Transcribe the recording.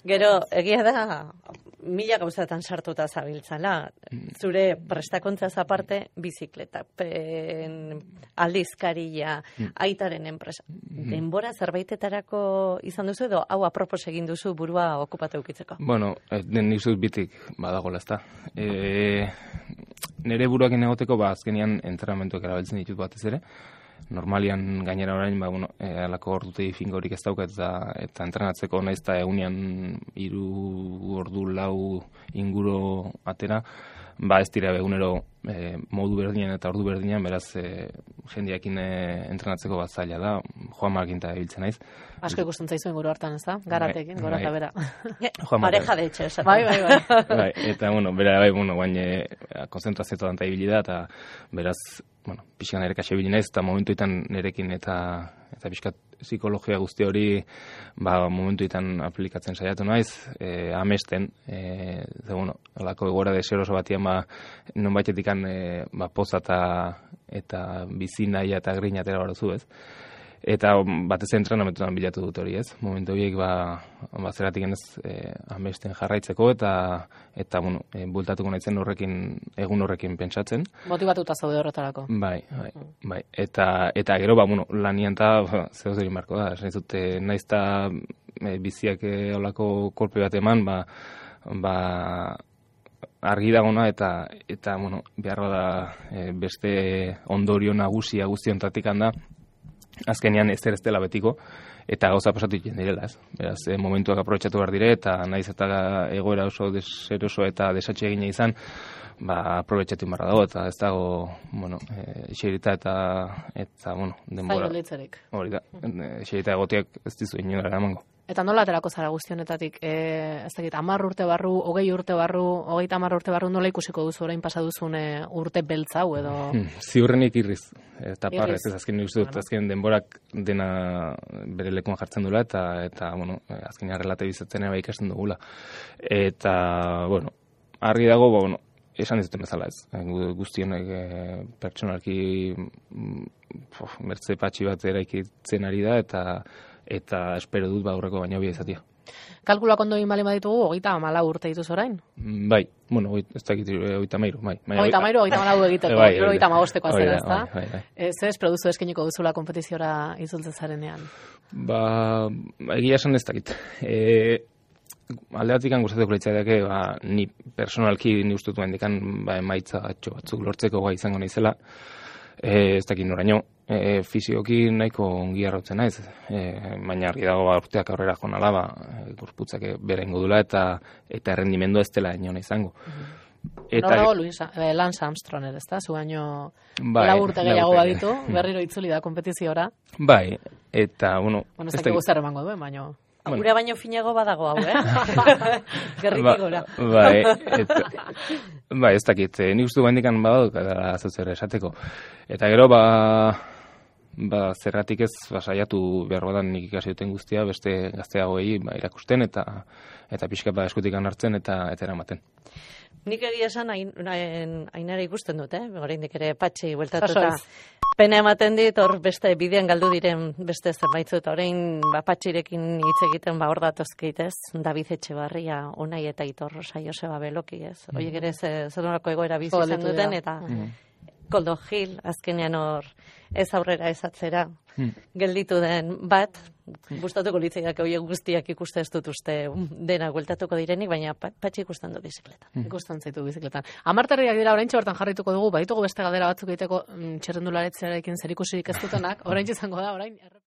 Gero, egia da, mila gauzatan sartuta zabiltzala. Zure prestakontzaz aparte, bizikletan, aldizkaria, aitaren enpresa. Denbora zerbait izan duzu edo hau apropos egin duzu burua okupatu eukitzeko? Bueno, nik zut bitik badagola, ezta. Nere buruakin egoteko, azkenian entrenamentuak erabiltzen ditut batez ere. Normalian gainera orain, alako ordutegi fingorik ez daukat eta entrenatzeko naiz eta egunean 3 ordu 4 inguru atera, ez dira egunero modu berdinen eta ordu berdinean, beraz jendeakin entrenatzeko bat zaila da, Juanmarekin eta ibiltzen naiz. Asko ikusten zaizu inguru hartan, ez da? Garatekin, gora eta bera. Pareja de etxe, esan. Bai. Eta, bera, guain konzentrazioetan eta ibili da, eta beraz, pixkan ere kaxe ibili naiz, eta momentuetan nerekin eta pixkat psikologia guzti hori momentuetan aplikatzen saiatu naiz, amesten, alako egora deseroso batian, non baitetikan poza eta bizi nahi eta grina atera barozu, ez? Eta batez entrenamentuan bilatu dut hori, ez? Momentu horiek zeratik ez amesten jarraitzeko eta bultatuko naizen egun horrekin pentsatzen. Motibatuta zaude horretarako. Bai. Eta gero, lanian eta zehoz egin marko da. Esan izute, naiz eta biziak olako kolpe bat eman, argi dagona eta behar da beste ondorio nagusia guztiontatik handa, azkenean ez dela betiko, eta gauza pasatu egiten direla, ez? Beraz, momentuak aprobetxatu behar dire, eta naiz eta egoera oso deseroso eta desatxe egina izan, aprobetxatu barra dago, eta ez dago, iserita eta denbora. Zailo litzerik. Hori da, iserita egotiak ez dizu inora eramango. Eta nola aterako zara guztionetatik, ez dakit, 10 urte barru, 20 urte barru, 30 urte barru, nola ikusiko duzu orain pasaduzun urte beltza hau edo? Ziurrenik irriz, eta parrez, ez azken nik uste dut, azken denborak dena bere lekuan jartzen dula, eta azken relatibizatzen eba ikasten dugula. Eta, argi dago, esan dizuten bezala ez, guztionek pertsonalki bertze patxi bat eraikitzen ari da, eta espero dut aurreko baina bia izatea. Kalkulak ondo egin bali baditugu, 34 urte dituz orain? Bai, ez dakit 33, bai. 33, 34 egiteko, 35-eko azera, ez da? Bai. Zer produzu eskeniko duzula kompetiziora itzultzen zarenean? Egia esan ez dakit. Alde batik gustatuko litzaidake, ni personalki ni uste dut mendikan emaitza batzuk lortzeko gai izango naizela. Ez dakit noraino, fisioki nahiko ongi arrotzen naiz, baina argi dago urteak aurrera jonala, gorputzak bera ingo dula eta errendimendu ez dela ino izango. Norago Lance Armstrong ez da, zu baino 4 urte gehiago baditu, berriro itzuli da kompetiziora. Bai, eta, ez dakik guztar emango duen, baino... Gure baino finago badago hau, Gerritik gora. Bai, ez dakit, nik uste bendikan badut, zer esateko. Eta gero, zerratik ez saiatu behar badan nik ikasi duten guztia, beste gazteagoei irakusten eta pixka eskutik hartzen eta eramaten. Nik egia esan ainara ikusten dut, oraindik ere patxi bueltatuta. Pena ematen dit, hor beste bidean galdu diren beste zerbaitzu, eta orain patxirekin hitz egiten hor datozkeit, ez? David Etxebarria, Unai eta Aitor Rosa, Joseba Beloki, ez? Oiek ere zerorako egoera bizi izan duten, eta Koldo Gil, azkenean hor ez aurrera ez atzera gelditu den bat, gustatuko litzaidak horiek guztiak ikuste ez dut uste dena gueltatuko direnik, baina patxi ikusten du bizikletan. Ikusten zaitu bizikletan. Amarterriak dira oraintxe bertan jarrituko dugu, baditugu beste galdera batzuk egiteko txerrendularetzearekin zerikusirik ez dutenak, oraintxe izango da, orain...